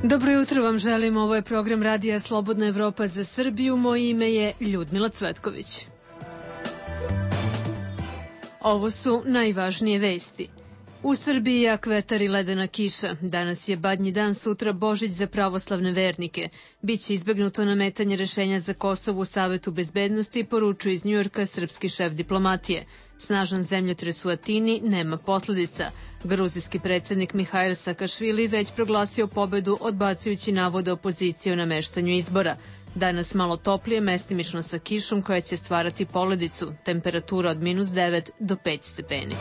Dobro jutro vam želim, ovo je program Radija Slobodna Evropa za Srbiju, moje ime je Ljudmila Cvetković. Ovo su najvažnije vesti. U Srbiji jak vetar i ledena kiša. Danas je Badnji dan, sutra Božić za pravoslavne vernike. Biće izbegnuto nametanje rešenja za Kosovo u Savetu bezbednosti, poručuje iz Njujorka srpski šef diplomatije. Snažan zemljotres u Atini nema posledica. Gruzijski predsednik Mihajl Sakašvili već proglasio pobedu odbacujući navode opozicije o nameštanju izbora. Danas malo toplije, mestimično sa kišom koja će stvarati poledicu. Temperatura od -9 do 5 stepeni.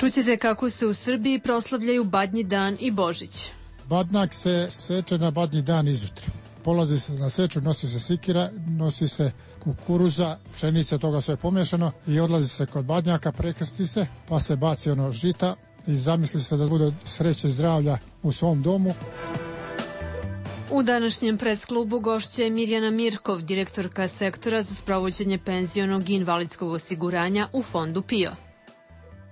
Čućete kako se u Srbiji proslavljaju Badnji dan i Božić. Badnjak se seče na Badnji dan izjutra. Polazi se na seču, nosi se sikira, nosi se kukuruza, pšenica, toga sve pomešano i odlazi se kod Badnjaka, prekrsti se, pa se baci ono žita i zamisli se da bude sreće i zdravlja u svom domu. U današnjem presklubu gošća je Mirjana Mirkov, direktorka sektora za sprovođenje penzionog i invalidskog osiguranja u fondu PIO.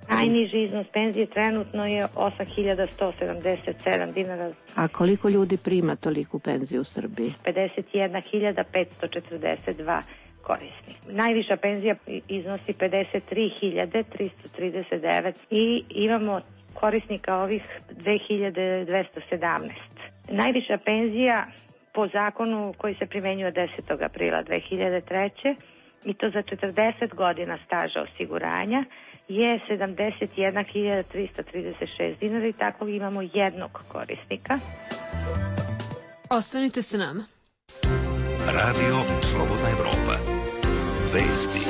Najniži iznos penzije trenutno je 8.177 dinara. A koliko ljudi prima toliku penziju u Srbiji? 51.542 korisnika. Najviša penzija iznosi 53.339 i imamo korisnika ovih 2.217. Najviša penzija po zakonu koji se primenjuje od 10. aprila 2003. i to za 40 godina staža osiguranja je 71.336 dinara i tako imamo jednog korisnika. Ostanite sa nama. Radio Slobodna Evropa. Vesti.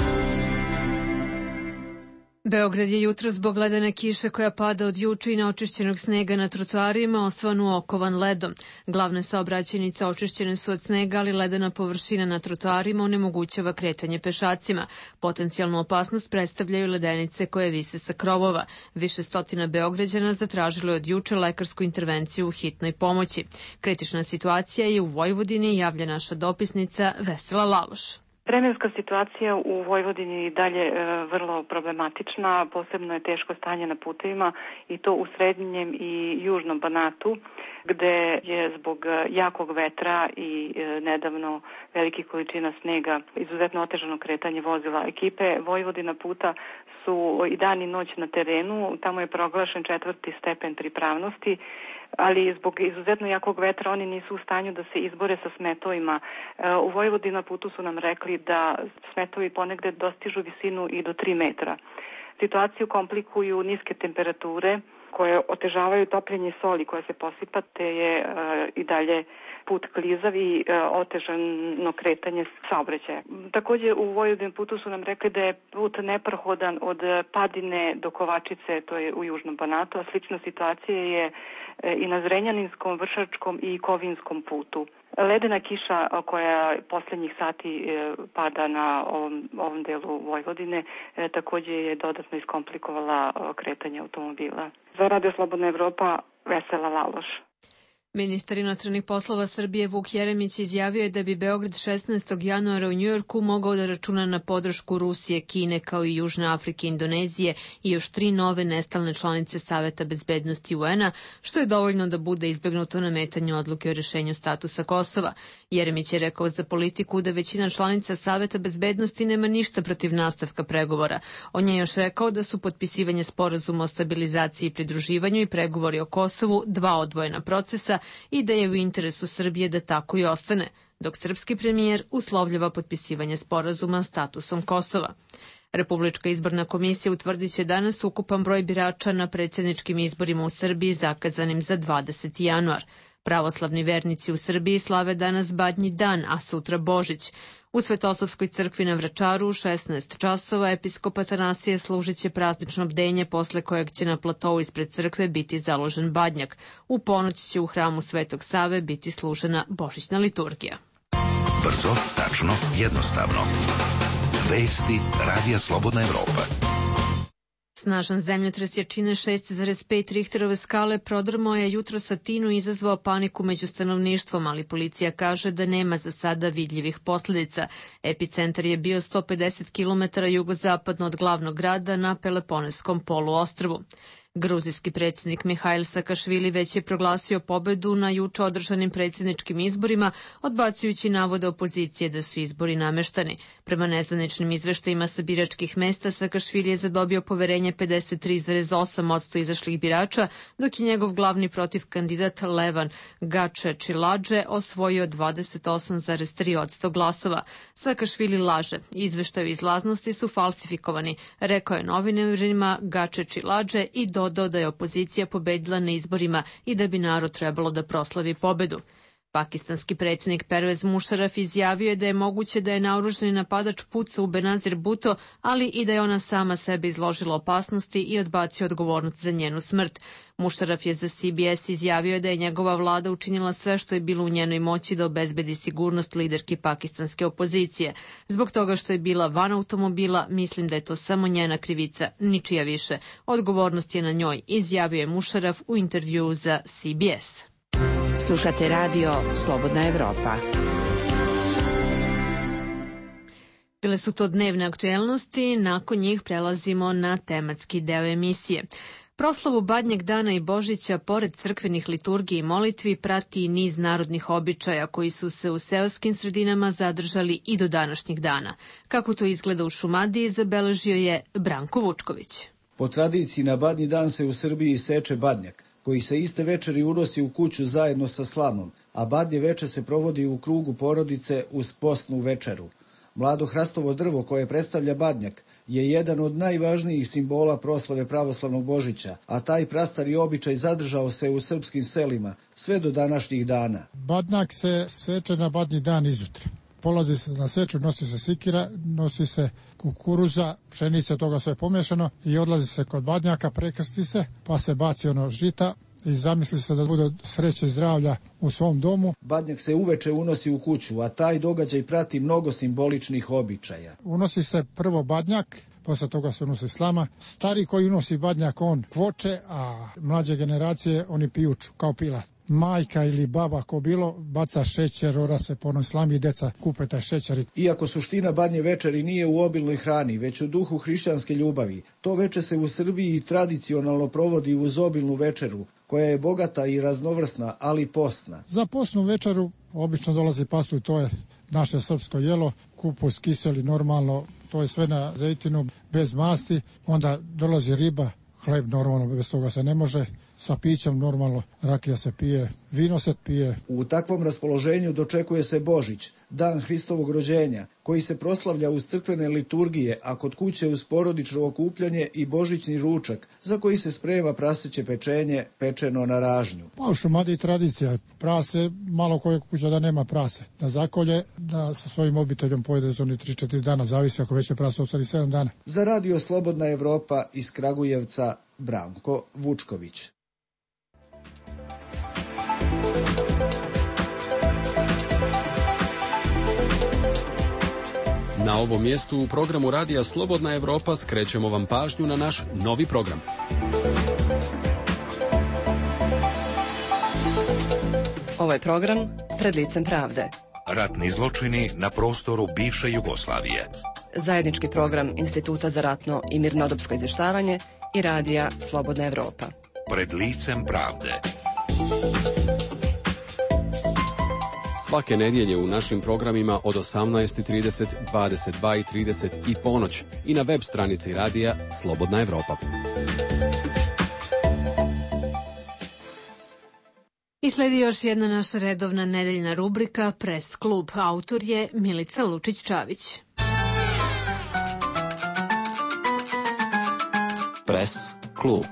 Beograd je jutro zbog ledene kiše koja pada od juče i neočišćenog snega na trotoarima osvanu okovan ledom. Glavne saobraćajnice očišćene su od snega, ali ledena površina na trotoarima onemogućava kretanje pešacima. Potencijalnu opasnost predstavljaju ledenice koje vise sa krovova. Više stotina Beograđana zatražilo je od juče lekarsku intervenciju u hitnoj pomoći. Kritična situacija je u Vojvodini, javlja naša dopisnica Vesela Laloš. Vremenska situacija u Vojvodini je dalje vrlo problematična, posebno je teško stanje na putevima i to u srednjem i južnom Banatu, gde je zbog jakog vetra i nedavno velikih količina snega izuzetno otežano kretanje vozila. Ekipe Vojvodina puta su i dan i noć na terenu, tamo je proglašen 4. stepen pripravnosti, ali zbog izuzetno jakog vetra oni nisu u stanju da se izbore sa smetovima. U Vojvodina putu su nam rekli da smetovi ponegde dostižu visinu i do 3 metra. Situaciju komplikuju niske temperature koje otežavaju topljenje soli koja se posipa, te je i dalje put klizav i otežano kretanje saobraćaja. Takođe u Vojvodinom putu su nam rekli da je put neprohodan od Padine do Kovačice, to je u južnom Banatu, a slična situacija je i na Zrenjaninskom, Vršačkom i Kovinskom putu. Ledena kiša koja poslednjih sati pada na ovom delu Vojvodine takođe je dodatno iskomplikovala kretanje automobila. Za Radio Slobodna Evropa, Vesela Laloš. Ministar inostranih poslova Srbije Vuk Jeremić izjavio je da bi Beograd 16. januara u Njujorku mogao da računa na podršku Rusije, Kine kao i Južne Afrike, Indonezije i još 3 nove nestalne članice Saveta bezbednosti UN-a, što je dovoljno da bude izbegnuto nametanje odluke o rešenju statusa Kosova. Jeremić je rekao za Politiku da većina članica Saveta bezbednosti nema ništa protiv nastavka pregovora. On je još rekao da su potpisivanje sporazuma o stabilizaciji i pridruživanju i pregovori o Kosovu 2 odvojena procesa i da je u interesu Srbije da tako i ostane, dok srpski premijer uslovljava potpisivanje sporazuma statusom Kosova. Republička izborna komisija utvrdit će danas ukupan broj birača na predsjedničkim izborima u Srbiji zakazanim za 20. januar. Pravoslavni vernici u Srbiji slave danas Badnji dan, a sutra Božić. U Svetosavskoj crkvi na Vračaru u 16 časova episkop Atanasije služit će praznično bdenje, posle kojeg će na platovu ispred crkve biti založen badnjak. U ponoć će u hramu Svetog Save biti služena božićna liturgija. Brzo, tačno, jednostavno. Vesti Radija Slobodna Evropa. Snažan zemljotres jačine 6,5 Richterove skale prodrmao je jutros Atinu i izazvao paniku među stanovništvom, ali policija kaže da nema za sada vidljivih posledica. Epicentar je bio 150 km jugozapadno od glavnog grada na Peloponeskom poluostrvu. Gruzijski predsjednik Mihail Sakašvili već je proglasio pobedu na juče održanim predsjedničkim izborima, odbacujući navode opozicije da su izbori nameštani. Prema nezvaničnim izveštajima sa biračkih mesta, Sakašvili je zadobio poverenje 53,8% izašlih birača, dok je njegov glavni protiv kandidat Levan Gačečiladže osvojio 28,3% glasova. Sakašvili laže. Izveštaji o izlaznosti su falsifikovani, rekao je novinarima Gačečiladže i dodao da je opozicija pobedila na izborima i da bi narod trebalo da proslavi pobedu. Pakistanski predsjednik Pervez Musharraf izjavio je da je moguće da je naoružani napadač pucao u Benazir Bhutto, ali i da je ona sama sebe izložila opasnosti i odbacio odgovornost za njenu smrt. Musharraf je za CBS izjavio da je njegova vlada učinila sve što je bilo u njenoj moći da obezbedi sigurnost liderki pakistanske opozicije. Zbog toga što je bila van automobila, mislim da je to samo njena krivica, ničija više. Odgovornost je na njoj, izjavio je Musharraf u intervjuu za CBS. Slušate radio Slobodna Evropa. Bile su to dnevne aktuelnosti, nakon njih prelazimo na tematski deo emisije. Proslavu Badnjeg dana i Božića, pored crkvenih liturgija i molitvi, prati i niz narodnih običaja koji su se u seoskim sredinama zadržali i do današnjih dana. Kako to izgleda u Šumadiji, zabeležio je Branko Vučković. Po tradiciji na Badnji dan se u Srbiji seče badnjak, koji se iste večeri unosi u kuću zajedno sa slamom, a badnje veče se provodi u krugu porodice uz postnu večeru. Mlado hrastovo drvo koje predstavlja badnjak je jedan od najvažnijih simbola proslave pravoslavnog Božića, a taj prastari običaj zadržao se u srpskim selima sve do današnjih dana. Badnjak se seče na Badnji dan izutra. Polazi se na seču, nosi se sikira, nosi se kukuruza, pšenica, toga sve pomešano i odlazi se kod badnjaka, prekrsti se, pa se baci ono žita i zamisli se da bude sreće i zdravlja u svom domu. Badnjak se uveče unosi u kuću, a taj događaj prati mnogo simboličnih običaja. Unosi se prvo badnjak, posle toga se unosi slama. Stari koji unosi badnjak, on kvoče, a mlađe generacije oni pijuču, kao pila. Majka ili baba, ko bilo, baca šećer, ora se po onoj slami i deca kupe taj šećer. Iako suština badnje večeri nije u obilnoj hrani, već u duhu hrišćanske ljubavi, to veče se u Srbiji tradicionalno provodi uz obilnu večeru, koja je bogata i raznovrsna, ali postna. Za postnu večeru obično dolazi pasulj, to je naše srpsko jelo, kupus, kiseli, normalno, to je sve na zejtinu, bez masti, onda dolazi riba, hleb normalno, bez toga se ne može, sa pićem normalno, rakija se pije, vino se pije. U takvom raspoloženju dočekuje se Božić, dan Hristovog rođenja, koji se proslavlja uz crkvene liturgije, a kod kuće uz porodično okupljanje i božićni ručak, za koji se sprema praseće pečenje pečeno na ražnju. Pa u Šumadiji tradicija, prase, malo koje kuća da nema prase, da zakolje, da sa svojim obiteljom pojede za oni 3-4 dana, zavisi ako već je prase ostali 7 dana. Za radio Slobodna Evropa iz Kragujevca, Branko Vučković. Na ovom mjestu u programu radija Slobodna Evropa skrećemo vam pažnju na naš novi program. Ovo je program Pred licem pravde. Ratni zločini na prostoru bivše Jugoslavije. Zajednički program Instituta za ratno i mirnodopsko izvještavanje i radija Slobodna Evropa. Pred licem pravde. Svake nedjelje u našim programima od 18:30, 22:30 i ponoć i na web stranici radija Slobodna Evropa. I sledi još jedna naša redovna nedeljna rubrika Press klub. Autor je Milica Lučić-Čavić. Press klub.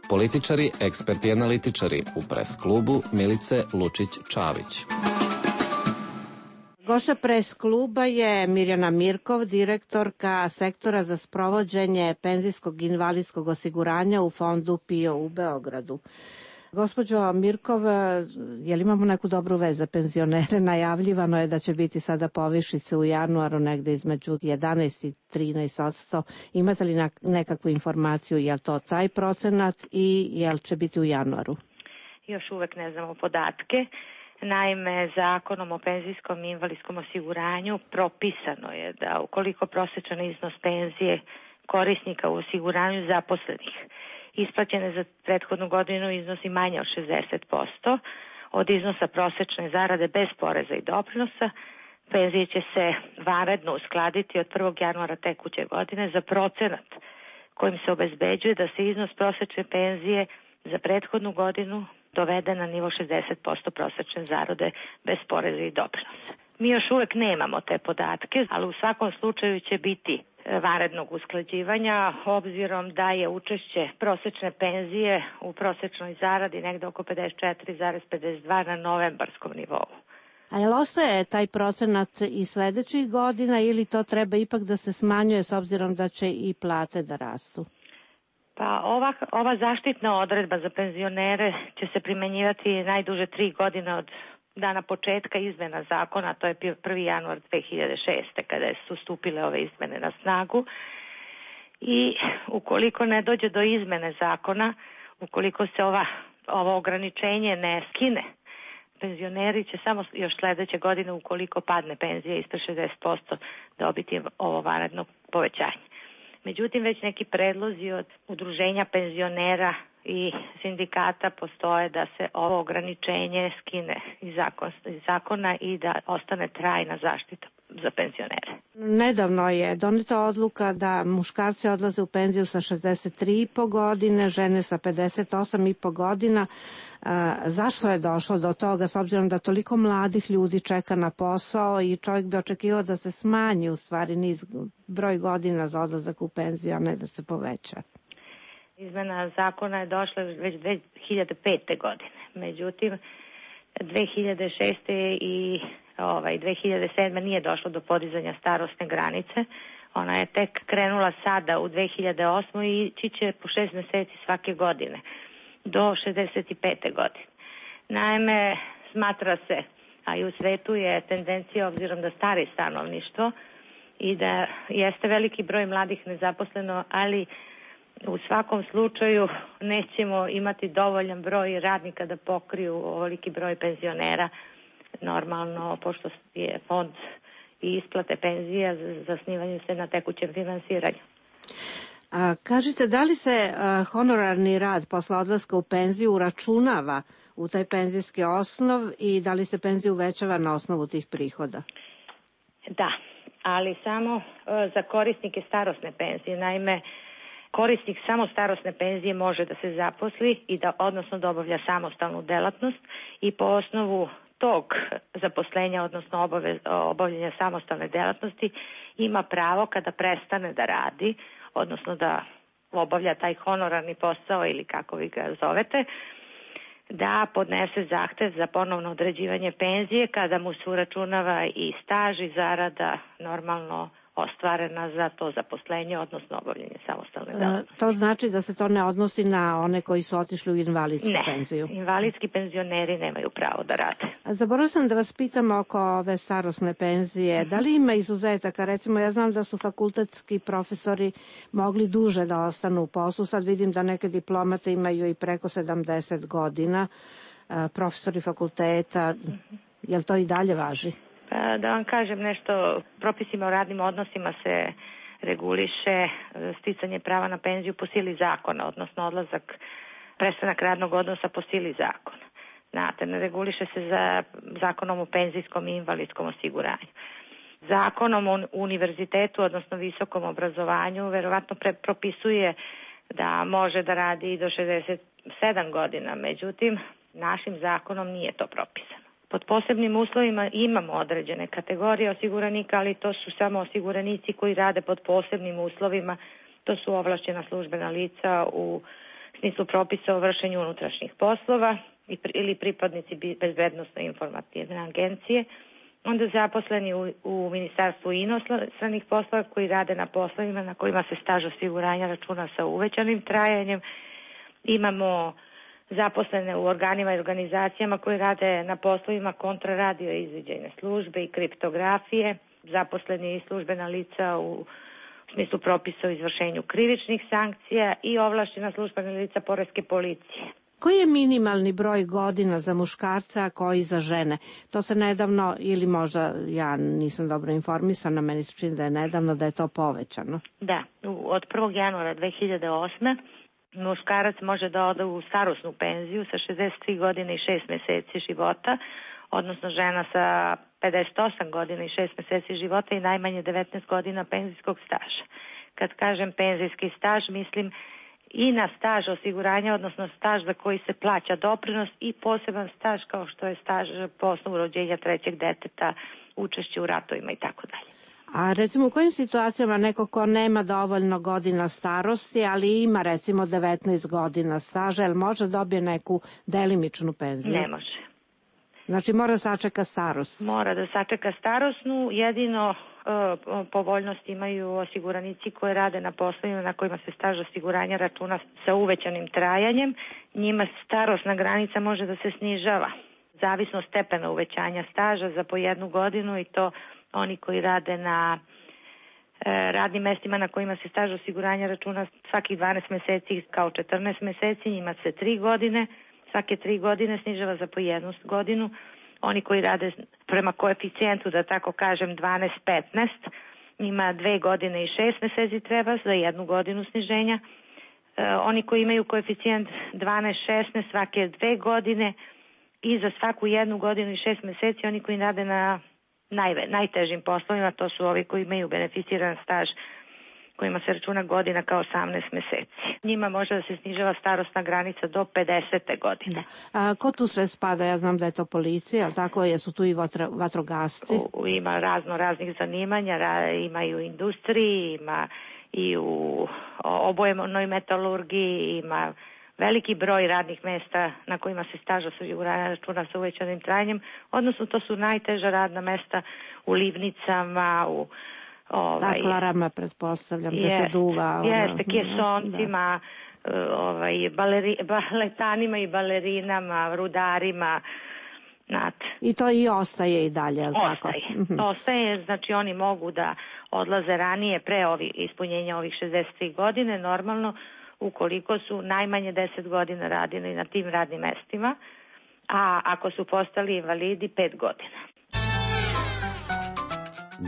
Političari, eksperti i analitičari u Press klubu Milice Lučić-Čavić. Goša Press kluba je Mirjana Mirkov, direktorka sektora za sprovođenje penzijskog i invalidskog osiguranja u fondu PIO u Beogradu. Gospođo Mirkov, je li imamo neku dobru vez za penzionere? Najavljivano je da će biti sada povišice u januaru negde između 11 i 13%. Imate li nekakvu informaciju, je li to taj procenat i je li će biti u januaru? Još uvek ne znamo podatke. Naime, Zakonom o penzijskom i invalidskom osiguranju propisano je da ukoliko prosječan iznos penzije korisnika u osiguranju zaposlenih isplaćene za prethodnu godinu iznosi manje od 60% od iznosa prosečne zarade bez poreza i doprinosa, penzije će se vanredno uskladiti od 1. januara tekuće godine za procenat kojim se obezbeđuje da se iznos prosečne penzije za prethodnu godinu dovede na nivo 60% prosečne zarade bez poreza i doprinosa. Mi još uvek nemamo te podatke, ali u svakom slučaju će biti vanrednog usklađivanja, obzirom da je učešće prosečne penzije u prosečnoj zaradi negde oko 54,52 na novembarskom nivou. A jel ostaje taj procenat i sledećih godina ili to treba ipak da se smanjuje s obzirom da će i plate da rastu? Pa ova zaštitna odredba za penzionere će se primenjivati najduže 3 godine od dana početka izmena zakona, to je 1. januar 2006. kada su stupile ove izmene na snagu. I ukoliko ne dođe do izmene zakona, ukoliko se ovo ograničenje ne skine, penzioneri će samo još sledeće godine, ukoliko padne penzija ispred 60%, dobiti ovo vanredno povećanje. Međutim, već neki predlozi od udruženja penzionera i sindikata postoje da se ovo ograničenje skine iz zakona i da ostane trajna zaštita za penzionere. Nedavno je doneta odluka da muškarci odlaze u penziju sa 63,5 godine, žene sa 58,5 godina. Zašto je došlo do toga, s obzirom da toliko mladih ljudi čeka na posao i čovjek bi očekivao da se smanji u stvari broj godina za odlazak u penziju, a ne da se poveća? Izmena zakona je došla već 2005. godine. Međutim, 2006. i 2007. nije došlo do podizanja starosne granice. Ona je tek krenula sada u 2008. i ići će po 6 meseci svake godine do 65. godine. Naime, smatra se, a i u svetu je tendencija, obzirom da stari stanovništvo i da jeste veliki broj mladih nezaposleno, ali u svakom slučaju nećemo imati dovoljan broj radnika da pokriju ovoliki broj penzionera. Normalno, pošto je fond i isplate penzija, zasnivaju se na tekućem finansiranju. Kažite, da li se honorarni rad posle odlaska u penziju uračunava u taj penzijski osnov i da li se penzija uvećava na osnovu tih prihoda? Da, ali samo za korisnike starosne penzije. Naime, korisnik samo starosne penzije može da se zaposli i odnosno da obavlja samostalnu delatnost i po osnovu tog zaposlenja, odnosno obavljanja samostalne delatnosti, ima pravo kada prestane da radi, odnosno da obavlja taj honorarni posao ili kako vi ga zovete, da podnese zahtev za ponovno određivanje penzije kada mu se uračunava i staž i zarada normalno ostvarena za to zaposlenje, odnosno obavljanje samostalne delatnosti. To znači da se to ne odnosi na one koji su otišli u invalidsku penziju? Ne, invalidski penzioneri nemaju pravo da rade. Zaboravila sam da vas pitam oko ove starosne penzije. Da li ima izuzetaka? Recimo, ja znam da su fakultetski profesori mogli duže da ostanu u poslu. Sad vidim da neke diplomate imaju i preko 70 godina. Profesori fakulteta, jel to i dalje važi? Da vam kažem nešto, propisima o radnim odnosima se reguliše sticanje prava na penziju po sili zakona, odnosno prestanak radnog odnosa po sili zakona. Znate, ne reguliše se za zakonom o penzijskom i invalidskom osiguranju. Zakonom o univerzitetu, odnosno visokom obrazovanju, verovatno propisuje da može da radi i do 67 godina, međutim, našim zakonom nije to propisano. Pod posebnim uslovima imamo određene kategorije osiguranika, ali to su samo osiguranici koji rade pod posebnim uslovima. To su ovlašćena službena lica u smislu propisa o vršenju unutrašnjih poslova ili pripadnici bezbednosno-informativne agencije. Onda zaposleni u Ministarstvu inostranih poslova koji rade na poslovima na kojima se staž osiguranja računa sa uvećanim trajanjem. Imamo zaposlene u organima i organizacijama koji rade na poslovima kontraradio izviđajne službe i kriptografije, zaposleni i službena lica u smislu propisa o izvršenju krivičnih sankcija i ovlašćena službena lica poreske policije. Koji je minimalni broj godina za muškarca, a koji za žene? To se nedavno, ili možda ja nisam dobro informisana, meni se čini da je nedavno da je to povećano. Da, od 1. januara 2008. muškarac može da ode u starosnu penziju sa 63 godine i 6 meseci života, odnosno žena sa 58 godina i 6 meseci života i najmanje 19 godina penzijskog staža. Kad kažem penzijski staž, mislim i na staž osiguranja, odnosno staž za koji se plaća doprinos i poseban staž kao što je staž po osnovu rođenja trećeg deteta, učešće u ratovima i tako dalje. A recimo u kojim situacijama neko ko nema dovoljno godina starosti, ali ima recimo 19 godina staža, jel može dobije neku delimičnu penziju? Ne može. Znači mora da sačeka starost? Mora da sačeka starosnu, jedino povoljnost imaju osiguranici koji rade na poslovima na kojima se staž osiguranja računa sa uvećanim trajanjem. Njima starosna granica može da se snižava, zavisno stepena uvećanja staža za po 1 godinu i to oni koji rade na radnim mestima na kojima se staž osiguranja računa svakih 12 meseci kao 14 meseci, njima se 3 godine, svake 3 godine snižava za po 1 godinu. Oni koji rade prema koeficijentu, da tako kažem, 12-15, njima 2 godine i 6 meseci treba za 1 godinu sniženja. Oni koji imaju koeficijent 12-16 svake 2 godine i za svaku 1 godinu i 6 meseci, oni koji rade na najtežim poslovima, to su ovi koji imaju beneficiran staž kojima se računa godina kao 18 meseci. Njima može da se snižava starosna granica do 50. godine. Da. A ko tu sve spada? Ja znam da je to policija, ali tako jesu tu i vatrogasci? Ima raznih zanimanja, ima i u industriji, ima i u obojevnoj metalurgiji, ima veliki broj radnih mesta na kojima se staž osiguranja računa sa uvećanim trajanjem, odnosno to su najteža radna mesta u livnicama, u taklarama, pretpostavljam, gde se duva. Jeste, kesoncima, baletanima i balerinama, rudarima. I to i ostaje i dalje, je li tako? Ostaje, znači oni mogu da odlaze ranije pre ispunjenja ovih 63 godine, normalno, ukoliko su najmanje 10 godina radili na tim radnim mestima, a ako su postali invalidi 5 godina.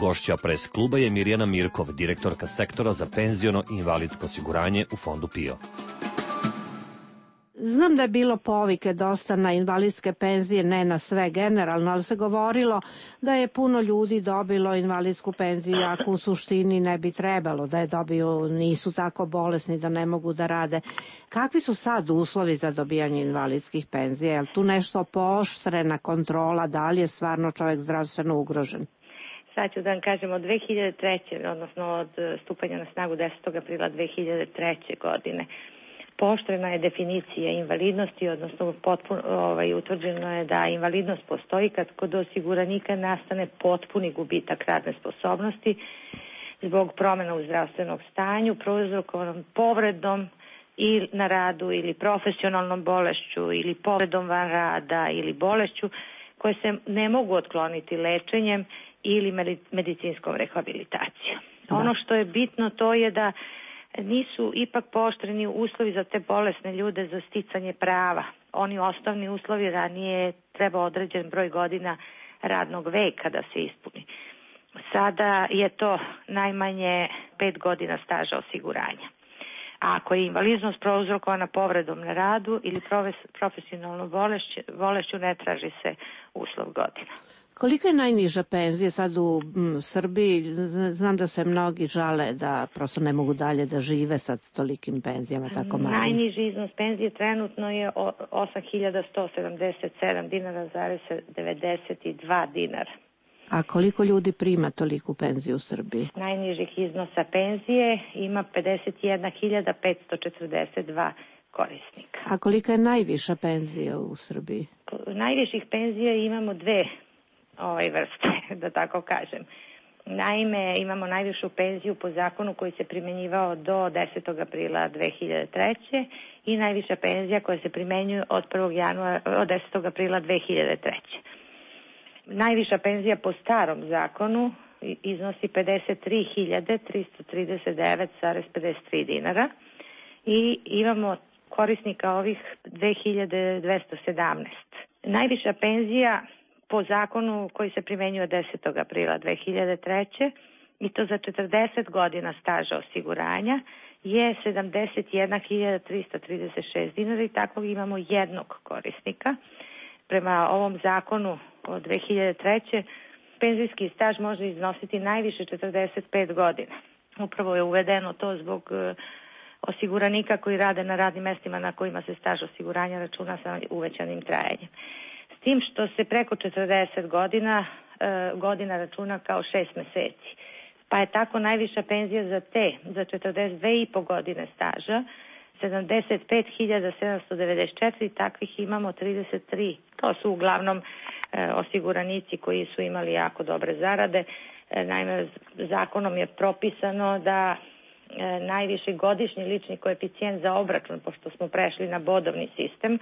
Gošća pres kluba je Mirjana Mirkov, direktorka sektora za penziono i invalidsko osiguranje u fondu PIO. Znam da je bilo povike dosta na invalidske penzije, ne na sve generalno, ali se govorilo da je puno ljudi dobilo invalidsku penziju, ako u suštini ne bi trebalo da je dobiju, nisu tako bolesni da ne mogu da rade. Kakvi su sad uslovi za dobijanje invalidskih penzija? Je li tu nešto pooštrena kontrola, da li je stvarno čovjek zdravstveno ugrožen? Sad ću da vam kažem, od 2003. odnosno od stupanja na snagu 10. aprila 2003. godine pooštrena je definicija invalidnosti, odnosno utvrđeno je da invalidnost postoji kad kod osiguranika nastane potpuni gubitak radne sposobnosti zbog promjena u zdravstvenog stanju, prouzrokovanom povredom i na radu ili profesionalnom bolešću ili povredom van rada ili bolešću koje se ne mogu otkloniti lečenjem ili medicinskom rehabilitacijom. Ono što je bitno to je da nisu ipak pooštreni uslovi za te bolesne ljude za sticanje prava. Oni osnovni uslovi ranije treba određen broj godina radnog veka da se ispuni. Sada je to najmanje 5 godina staža osiguranja. A ako je invalidnost prouzrokovana povredom na radu ili profesionalnom bolešću, ne traži se uslov godina. Kolika je najniža penzija sad u Srbiji? Znam da se mnogi žale da prosto ne mogu dalje da žive sa tolikim penzijama, tako malim. Najniži iznos penzije trenutno je 8.177 dinara zarez 92 dinara. A koliko ljudi prima toliku penziju u Srbiji? Najnižih iznosa penzije ima 51.542 korisnika. A kolika je najviša penzija u Srbiji? Najviših penzija imamo dve vrste, da tako kažem. Naime, imamo najvišu penziju po zakonu koji se primjenjivao do 10. aprila 2003. i najviša penzija koja se primenjuje od 10. aprila 2003. Najviša penzija po starom zakonu iznosi 53.339,53 dinara i imamo korisnika ovih 2217. Najviša penzija po zakonu koji se primenjuje 10. aprila 2003. i to za 40 godina staža osiguranja je 71.336 dinara i takvog imamo jednog korisnika. Prema ovom zakonu od 2003. penzijski staž može iznositi najviše 45 godina. Upravo je uvedeno to zbog osiguranika koji rade na radnim mestima na kojima se staž osiguranja računa sa uvećanim trajanjem. S tim što se preko 40 godina računa kao 6 meseci. Pa je tako najviša penzija za 42,5 godine staža 75.794, takvih imamo 33. To su uglavnom osiguranici koji su imali jako dobre zarade. Naime, zakonom je propisano da najviši godišnji lični koeficijent za obračun, pošto smo prešli na bodovni sistem,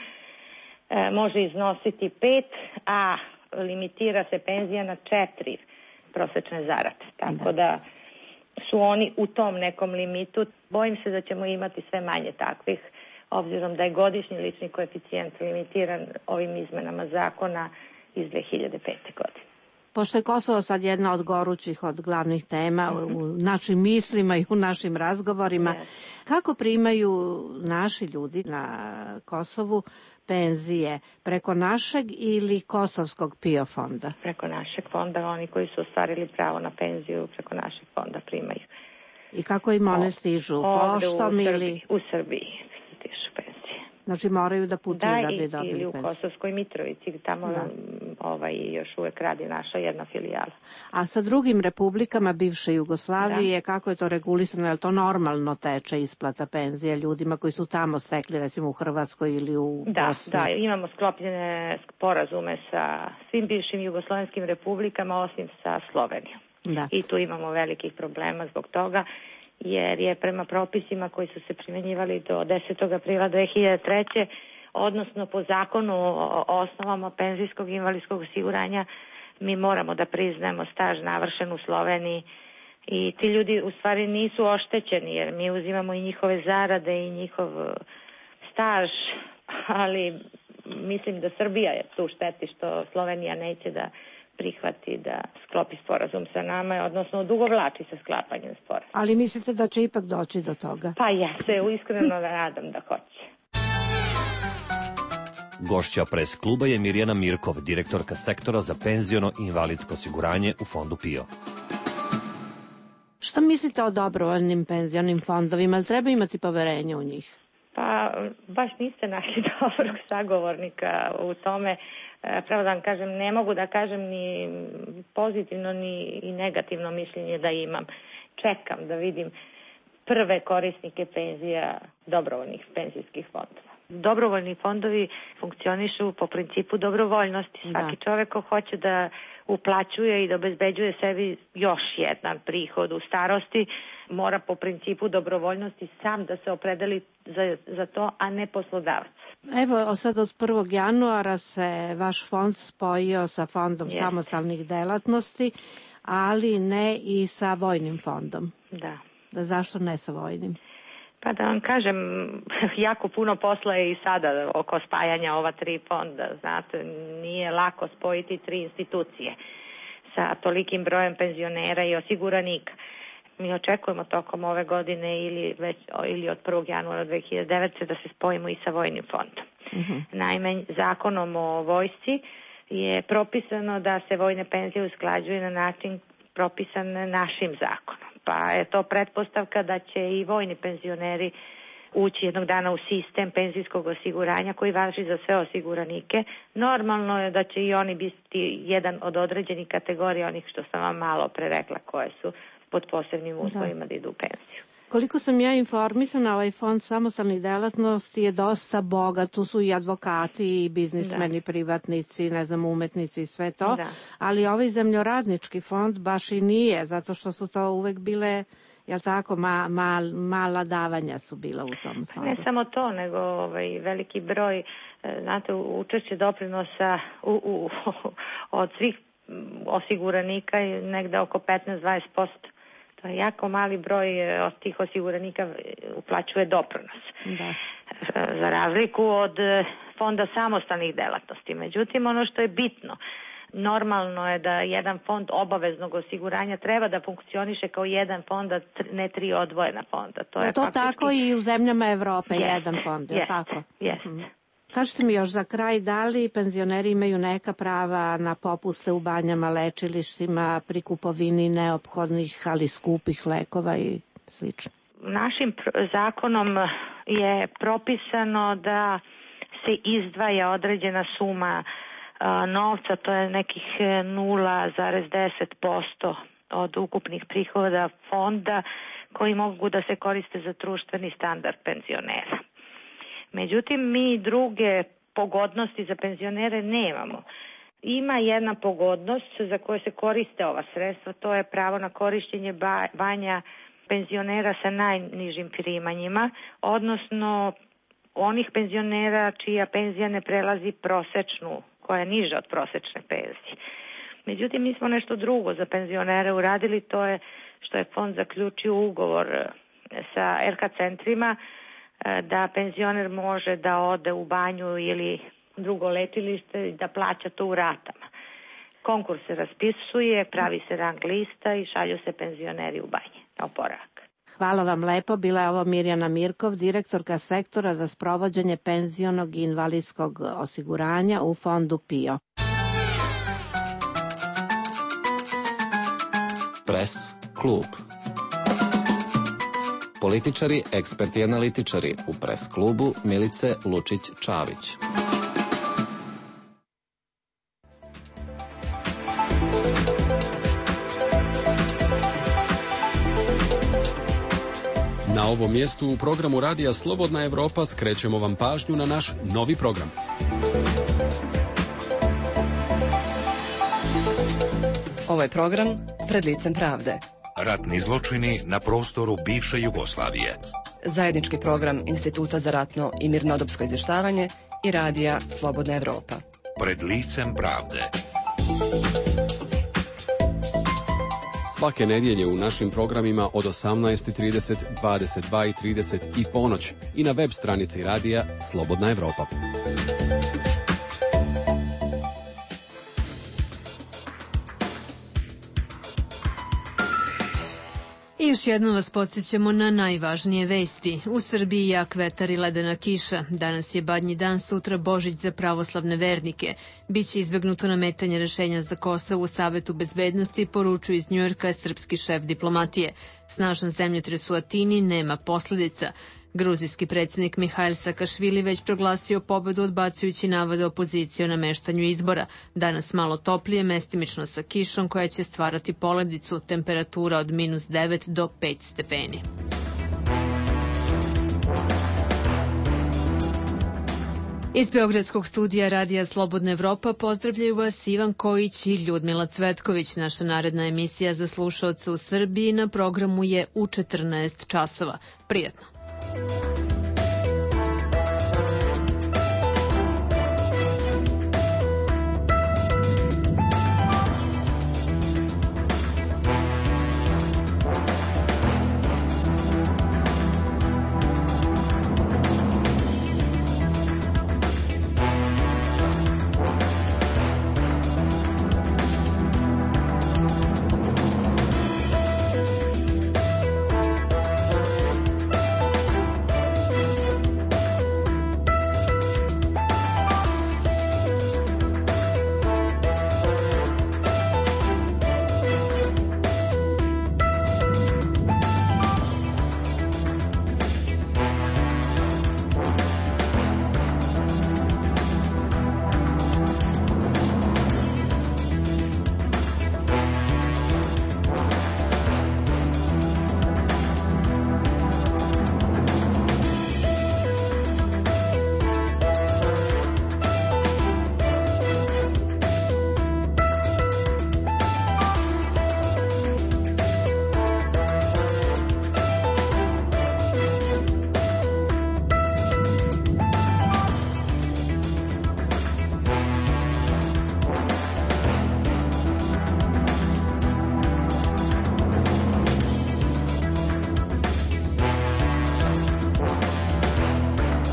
može iznositi 5, a limitira se penzija na 4 prosečne zarade. Tako da su oni u tom nekom limitu. Bojim se da ćemo imati sve manje takvih, obzirom da je godišnji lični koeficijent limitiran ovim izmenama zakona iz 2005. godine. Pošto je Kosovo sad jedna od gorućih, od glavnih tema u našim mislima i u našim razgovorima, kako primaju naši ljudi na Kosovu penzije? Preko našeg ili kosovskog PIO fonda? Preko našeg fonda, oni koji su ostvarili pravo na penziju preko našeg fonda primaju. I kako im one stižu? Poštom ili? U Srbiji stižu penzije. Znači moraju da putuju da bi dobili penziju. Ili u Kosovskoj Mitrovici, tamo još uvek radi naša jedna filijala. A sa drugim republikama bivše Jugoslavije, kako je to regulisano? Je li to normalno teče isplata penzija ljudima koji su tamo stekli, recimo u Hrvatskoj ili u Bosni? Da, imamo sklopljene sporazume sa svim bivšim jugoslovenskim republikama, osim sa Slovenijom. Da. I tu imamo velikih problema zbog toga, jer je prema propisima koji su se primenjivali do 10. aprila 2003. odnosno po zakonu o osnovama penzijskog i invalidskog osiguranja, mi moramo da priznajemo staž navršen u Sloveniji i ti ljudi u stvari nisu oštećeni, jer mi uzimamo i njihove zarade i njihov staž, ali mislim da Srbija je tu šteti što Slovenija neće da prihvati da sklopi sporazum sa nama, odnosno odugovlači sa sklapanjem sporazuma. Ali mislite da će ipak doći do toga? Pa ja se iskreno nadam da hoće. Gošća pres kluba je Mirjana Mirkov, direktorka sektora za penziono i invalidsko osiguranje u fondu PIO. Šta mislite o dobrovoljnim penzionim fondovima? Ali treba imati poverenje u njih? Pa baš niste našli dobrog sagovornika u tome. Pravo da vam kažem, ne mogu da kažem ni pozitivno ni negativno mišljenje da imam. Čekam da vidim prve korisnike penzija dobrovoljnih penzijskih fondova. Dobrovoljni fondovi funkcionišu po principu dobrovoljnosti. Svaki čovek ko hoće da uplaćuje i da obezbeđuje sebi još jedan prihod u starosti, mora po principu dobrovoljnosti sam da se opredeli za to, a ne poslodavac. Evo, sad od 1. januara se vaš fond spojio sa fondom samostalnih delatnosti, ali ne i sa vojnim fondom. Da. Zašto ne sa vojnim? Pa da vam kažem, jako puno posla je i sada oko spajanja ova 3 fonda. Znate, nije lako spojiti 3 institucije sa tolikim brojem penzionera i osiguranika. Mi očekujemo tokom ove godine ili od 1. januara 2009. da se spojimo i sa vojnim fondom. Naime, zakonom o vojsci je propisano da se vojne penzije usklađuju na način propisan našim zakonom. Pa je to pretpostavka da će i vojni penzioneri ući jednog dana u sistem penzijskog osiguranja koji važi za sve osiguranike. Normalno je da će i oni biti jedan od određenih kategorija, onih što sam vam malo pre rekla, koje su pod posebnim uslovima da idu u penziju. Koliko sam ja informisana, ovaj fond samostalnih delatnosti je dosta bogat, tu su i advokati i biznismeni, privatnici, ne znam, umetnici i sve to, ali ovaj zemljoradnički fond baš i nije, zato što su to uvek bile, jel tako, mala davanja su bila u tom fondu. Ne samo to, nego veliki broj, znate, učešće doprinosa od svih osiguranika je negde oko 15-20%. To je jako mali broj od tih osiguranika uplaćuje doprinos. Da. za razliku od fonda samostalnih delatnosti. Međutim, ono što je bitno, normalno je da jedan fond obaveznog osiguranja treba da funkcioniše kao jedan fond, a ne 3 odvojena fonda. To je faktički... tako i u zemljama Evrope, jedan fond, je tako? Jeste. Kažete mi još za kraj, da li penzioneri imaju neka prava na popuste u banjama, lečilištima, pri kupovini neophodnih, ali skupih lekova i slično? Našim zakonom je propisano da se izdvaja određena suma novca, to je nekih 0,10% od ukupnih prihoda fonda koji mogu da se koriste za društveni standard penzionera. Međutim, mi druge pogodnosti za penzionere nemamo. Ima jedna pogodnost za koju se koriste ova sredstva, to je pravo na korišćenje banja penzionera sa najnižim primanjima, odnosno onih penzionera čija penzija ne prelazi prosečnu, koja je niža od prosečne penzije. Međutim, mi smo nešto drugo za penzionere uradili, to je što je fond zaključio ugovor sa RK centrima da penzioner može da ode u banju ili drugo lečilište i da plaća to u ratama. Konkurs se raspisuje, pravi se rang lista i šalju se penzioneri u banje na oporavak. Hvala vam lepo. Bila je ovo Mirjana Mirkov, direktorka sektora za sprovođenje penzionog i invalidskog osiguranja u fondu PIO. Pres klub. Političari, eksperti i analitičari u Pres klubu Milice Lučić-Čavić. Na ovom mjestu u programu Radija Slobodna Evropa skrećemo vam pažnju na naš novi program. Ovo je program Pred licem pravde. Ratni zločini na prostoru bivše Jugoslavije. Zajednički program Instituta za ratno i mirnodopsko izvještavanje i Radija Slobodna Evropa. Pred licem pravde. Svake nedjelje u našim programima od 18:30, 22:30 i ponoć i na web stranici Radija Slobodna Evropa. I još jednom vas podsjećamo na najvažnije vesti. U Srbiji jak vetar i ledena kiša. Danas je Badnji dan, sutra Božić za pravoslavne vernike. Biće izbjegnuto nametanje rešenja za Kosovo u Savetu bezbednosti, poručuju iz Njujorka srpski šef diplomatije. Snažan zemljotres u Atini nema posljedica. Gruzijski predsjednik Mihajl Sakašvili već proglasio pobedu odbacujući navode opozicije o nameštanju izbora. Danas malo toplije, mestimično sa kišom koja će stvarati poledicu, temperatura od -9 do 5 stepeni. Iz Beogradskog studija Radija Slobodna Evropa pozdravljaju vas Ivan Kojić i Ljudmila Cvetković. Naša naredna emisija za slušaoce u Srbiji na programu je u 14 časova. Prijatno!